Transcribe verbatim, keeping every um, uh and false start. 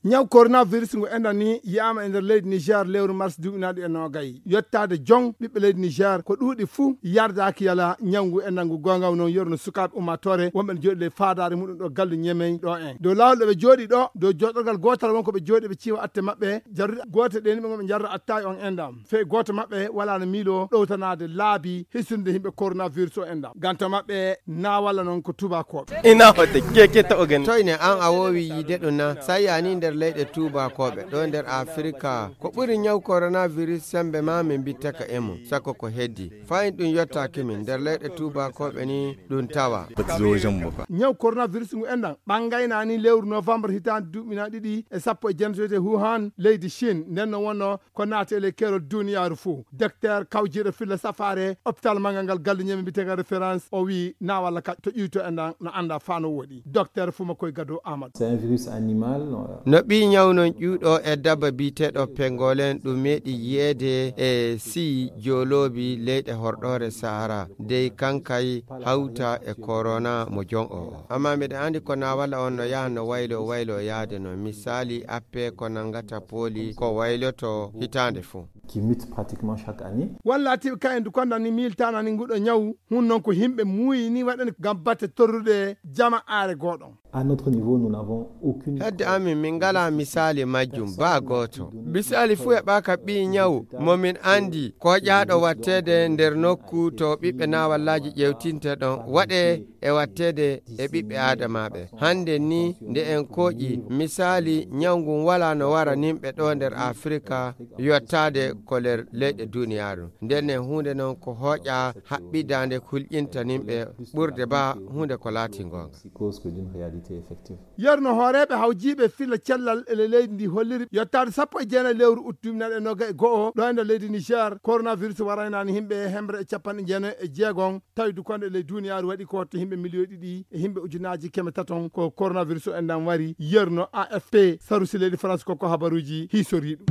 Ñaw coronavirus ngu enɗan ni yiyaama e nder leydi Niger lewru mars duuɓi naaɗi e noogay. Yottaade jon ɓiɓɓe leydi Niger ko ɗuuɗi fuu yardaaki yala ñaw ngu enɗan ngu. Goonga noon, yorno sukaaɓe ummaatoore wonɓe ne jooɗi ley faadaare muɗum ɗo galle Ñemey ɗo en. Dow laawol ɗo ɓe jooɗi ɗo, dow jooɗorgal gootal won ko ɓe jooɗi ɓe ciiwa atte maɓɓe, jarduɗe goote ɗe ni ɓe ngon ɓe jarra attaay on enɗam. Fey gooto maɓɓe wala no miilo ɗowtanaade laabi hisinde yimɓe coronavirus o enɗam. Ganto maɓɓe na walla noon ko tubakooɓe. Ina hote keke taɓo gani. Toyne an a woowi yiide ɗum na? Sa yani nder leyɗe tuubakooɓe ɗo nder Afirka, ko ɓuri ñaw coronavirus sembe ma min mbittaka e mum, sakko ko heddi. Fayin ɗum yottaaki min, nder leyɗe tuubakooɓe ni ɗum tawa. Bati zo wajen mu ba. Ñaw coronavirus ngu enɗan ɓangayna ni lewru novembre hitaande duuɓi na ɗiɗi e sappo e jeenato wiyetee Wuhan, leydi Chine. Nden no wonno ko naati e ley keerol duniyaaru fuu. Docteur kawjiiɗo filla safaare hôpital manngal ngal galle Ñemey mbiyeteegal référence, o wiyi na walla ka to ƴuyto enɗan no annda faa no woɗi. Docteur Fumakoy Gado Amadou. C'est un virus animal, euh, No ɓii ñaw non ƴuuɗo e dabba biyeteeɗo pengolen ɗum meeɗi yiyeede e sii jooloobi leyɗe horɗoore Sahara, dey kankay hawta e korona mo jon o o. Amma miɗa anndi ko na walla on no yaha no waylo waylo yaade no. Misaali, appe ko nanngata pooli ko wayloto hitaande fuu. Qui mute pratiquement chaque année. Walla atiiɓe kayen du kondan ni miiltaana ni nguɗo ñaw, hun non ko yimɓe muuyi ni waɗani ngam batte torrude jama aare gooɗon. À notre niveau, nous n'avons aucune Hedde amin, min ngalaa misaali majjum baa gooto. Misaali fuu heɓaaka ɓii ñaw mo min anndi ko ƴaaɗo watteede nder nokku to ɓiɓɓe naawallaaji ƴeewtinte ɗon waɗe e watteede e ɓiɓɓe aadamaaɓe. Hannde ni nde en kooƴi misaali ñaw ngun walaa no wara nimɓe ɗo nder Afirka yottaade ko nder leyɗe duniyaaru. Nden en huunde non ko hooƴa haɓɓidaande hulƴinta nimɓe ɓurde baa huunde ko laati ngoonga. Cause que d'une réalité effective. Yerno hooreeɓe hawjiiɓe filla cellal e ley leydi ndi holliri yottaade sappo e jeenayi lewru ut duuɓi nayi e noga e go'o ɗo e nder leydi Niger, coronavirus waraynaani yimɓe hemre e capanɗe jeenayi e jeegon, tawi dukonde e ley duniyaaru waɗi ko hoto yimɓe miliyoyi ɗiɗi e yimɓe ujunaaji keme taton ko coronavirus o enɗan wari. Yerno A F P, sarusi leydi France ko ko habaruuji hiisoriiɗo.